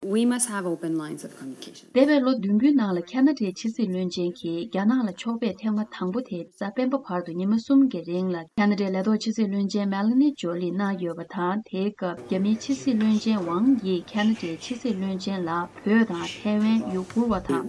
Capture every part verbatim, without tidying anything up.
We must have open lines of communication. འདས་པའི་ལོ་བདུན་པོའི་ནང་ལ་ཁ་ན་ཌའི་ཕྱི་སྲིད་བློན་ཆེན་གྱིས་རྒྱ་ནག་ལ་ཕྱོགས་ཕེབས་ཐེངས་མ་དང་པོ་དེ་གཟའ་སྤེན་པ་བར་དུ་ཉི་མ་གསུམ་གྱི་རིང་ལ་ཁ་ན་ཌའི་ལས་ཐོག་ཕྱི་སྲིད་བློན་ཆེན་མེ་ལ་ནི་ཇོ་ལི་གནང་ཡོད་པ་དང་། དེའི་སྐབས་རྒྱ་མིའི་ཕྱི་སྲིད་བློན་ཆེན་ཝང་ཡིས་ཁ་ན་ཌའི་ཕྱི་སྲིད་བློན་ཆེན་ལ་བོད་དང་ཐའེ་ཝན། ཡུ་གུར་བ་དང་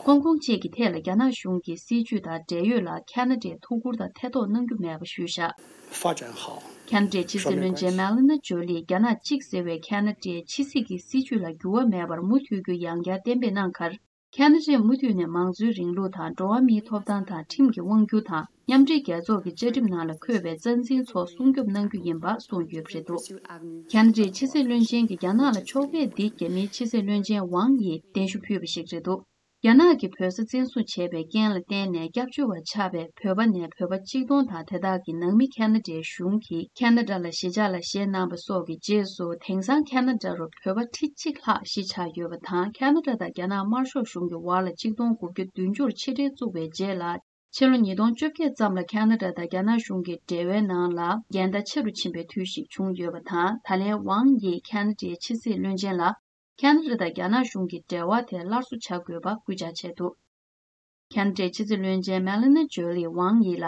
ཧོང་ཀོང་བཅས་ཀྱི་ཐད་ལ་རྒྱ་ནག་གཞུང་གི་སྲིད་བྱུས་དང་འབྲེལ་ཡོད་ལ་ཁ་ན་ཌས་ཐུགས་ཁུར་དང་ཐེ་གཏོགས་གནང་རྒྱུ་མེད་པ་ཞུས་བཞག 发展好。 ཁ་ན་ཌའི་ཕྱི་སྲིད་བློན་ཆེན་མེ་ལ་ནི་ཇོ་ལིས་རྒྱ་ནག་གཅིག་ཟེར་བའི་ཁ་ན་ཌའི་ཕྱི་སྲིད་ཀྱི་སྲིད་བྱུས་ལ་འགྱུར་བ་མེད་པར་མུ་མཐུད་རྒྱུ་ཡང་བསྐྱར་གཏན་འབེབས་གནང་ཁར། ཁ་ན་ཌས་མུ་མཐུད་ནས་མང་གཙོའི་རིང་ལུགས་དང་འགྲོ་བ་མིའི་ཐོབ་ཐང་དང་ཁྲིམས་ཀྱི་དབང་སྒྱུར་དང་མཉམ་འབྲེལ་རྒྱལ་ཚོགས་ཀྱི་བཅའ་ཁྲིམས་ནང་ལ་འཁོད་པའི་རྩ་འཛིན་ཚོ་སྲུང་སྐྱོབ་གནང་རྒྱུ་ཡིན་པ་གསུངས་ཡོད་པ་རེད་འདུག་ཁ་ན་ཌའི་ཕྱི་སྲིད་བློན་ཆེན་གྱི་རྒྱ་ནག་ལ་ཕྱོགས་ཕེབས་འདི་རྒྱ་མིའི་ཕྱི་སྲིད་བློན་ཆེན་ཝང་ཡིས་གདན་ཞུ་ཕུལ་བ་ཞིག་རེད་འདུག་རྒྱ་ནག་གིས་བོད་ས་བཙན་བཟུང་བྱས་པའི་རྐྱེན་ལ་བརྟེན་ནས་སྐྱབས་བཅོལ་བ་ཆགས་པའི་བོད་པ་ནས་བོད་པ་གཅིག་སྟོང་དང་དེ་དག་གི་ནང་མི་ཁ་ན་ཌའི་གཞུང་གིས་ཁ་ན་ཌ་ལ་གཞིས་ཆགས་ལ་བཞེས་གནང་བ་སོགས་ཀྱི་རྗེས་སུ། དེང་སང་ཁ་ན་ཌ་རུ་བོད་པ་ཁྲི་གཅིག་ལྷག་གཞིས་ཆགས་ཡོད་པ་དང་། ཁ་ན་ཌ་དང་རྒྱ་ནག་དམར་ཤོག་གཞུང་གི་བར་ལ་ཆིག་སྟོང་དགུ་བརྒྱ་བདུན་ཅུར་ཕྱི་འབྲེལ་བཙུགས་པའི་རྗེས་ལ། ཕྱི་ལོ་ཉིས་སྟོང་བཅོ་བརྒྱད་ཙམ་ལ་ཁ་ན་ཌ་དང་རྒྱ་ནག་གཞུང་གི་འབྲེལ་བའི་ནང་ལ་འགལ་ཟླ་ཆེ་རུ་ཕྱིན་པའི་དུས་ཤིག་བྱུང་ཡོད་པ་དང་། ད་ལན་ཝང་ཡིས་ཁ་ན་ཌའི་ཕྱི་སྲིད་བློན་ཆེན་ལ། ཁ་ན་ཌ་དང་རྒྱ་ནག་གཞུང་གི་འབྲེལ་བ་དེ་སླར་གསོ་བྱ་དགོས་པ་སྐུལ་ལྕག་བྱས་འདུག་ཁ་ན་ཌའི་ཕྱི་སྲིད་བློན་ཆེན་མེ་ལ་ནི་ཇོ་ལིས་ཝང་ཡི་ལ།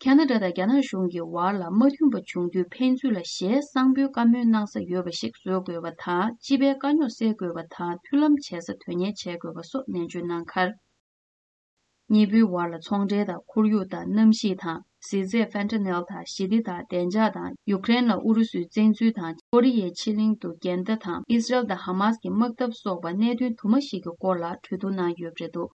ཁ་ན་ཌ་དང་རྒྱ་ནག་གཞུང་གི་བར་ལ་མ་མཐུན་པ་བྱུང་དུས་ཕན་ཚུན་ལ་ཞལ་གསང་པོའི་བཀའ་མོལ་གནང་ས་ཡོད་པ་ཞིག་བཟོ་དགོས་པ་དང་། སྤྱི་པའི་དཀའ་རྙོག་སེལ་དགོས་པ་དང་། མཐུན་ལམ་བྱེད་ས་དོན་གཉེར་བྱེད་དགོས་པ་སོགས་ནན་བརྗོད་གནང་ཁར། གཉིས་པོའི་བར་ལ་ཚོང་འབྲེལ་དང་ཁོར་ཡུག་དང་གནམ་གཤིས་དང་། ཟས་རྫས་ཕན་ཏ་ནེལ་དང་ཞི་བདེ་དང་བདེ་འཇགས་དང་། ཡུཀ་རེན་ལ་ཨུ་རུ་སུའི་བཙན་འཛུལ་དང་། ཀོ་རི་ཡའི་ཕྱེད་གླིང་དུ་འགལ་ཟླ་དང་། ཨི་སི་རལ་དང་ཧ་མཱས་ཀྱི་དམག་འཐབ་སོགས་པ་གནད་དོན་དུ་མ་ཞིག་གི་སྐོར་ལ་གྲོས་བསྡུར་གནང་ཡོད་པ་རེད་འདུག